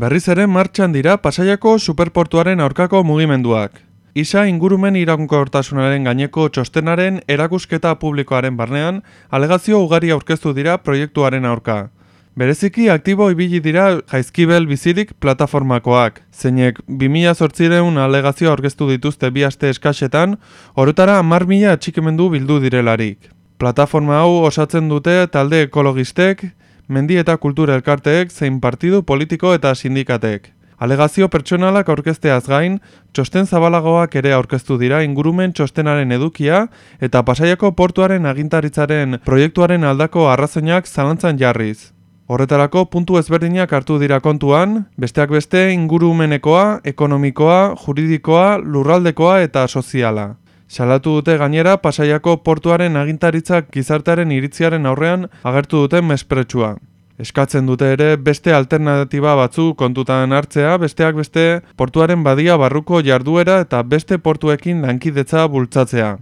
Berriz ere martxan dira Pasaiako superportuaren aurkako mugimenduak. ISA ingurumen iraunkortasunaren gaineko txostenaren erakusketa publikoaren barnean, alegazio ugari aurkeztu dira proiektuaren aurka. Bereziki aktibo ibili dira Jaizkibel bizirik plataformakoak, zeinek 2008 alegazio aurkeztu dituzte 2 aste eskasetan, orotara 10.000 atxikimendu bildu direlarik. Plataforma hau osatzen dute talde ekologistek, mendi eta kultura elkarteek zein partidu politiko eta sindikatek. Alegazio pertsonalak aurkezteaz gain, txosten zabalagoak ere aurkeztu dira ingurumen txostenaren edukia eta Pasaiako portuaren agintaritzaren proiektuaren aldako arrazoinak zalantzan jarriz. Horretarako puntu ezberdinak hartu dira kontuan, besteak beste ingurumenekoa, ekonomikoa, juridikoa, lurraldekoa eta soziala. Salatu dute gainera Pasaiako portuaren agintaritzak gizartearen iritziaren aurrean agertu duten mespretxua. Eskatzen dute ere beste alternatiba batzu kontutan hartzea, besteak beste portuaren badia barruko jarduera eta beste portuekin lankidetza bultzatzea.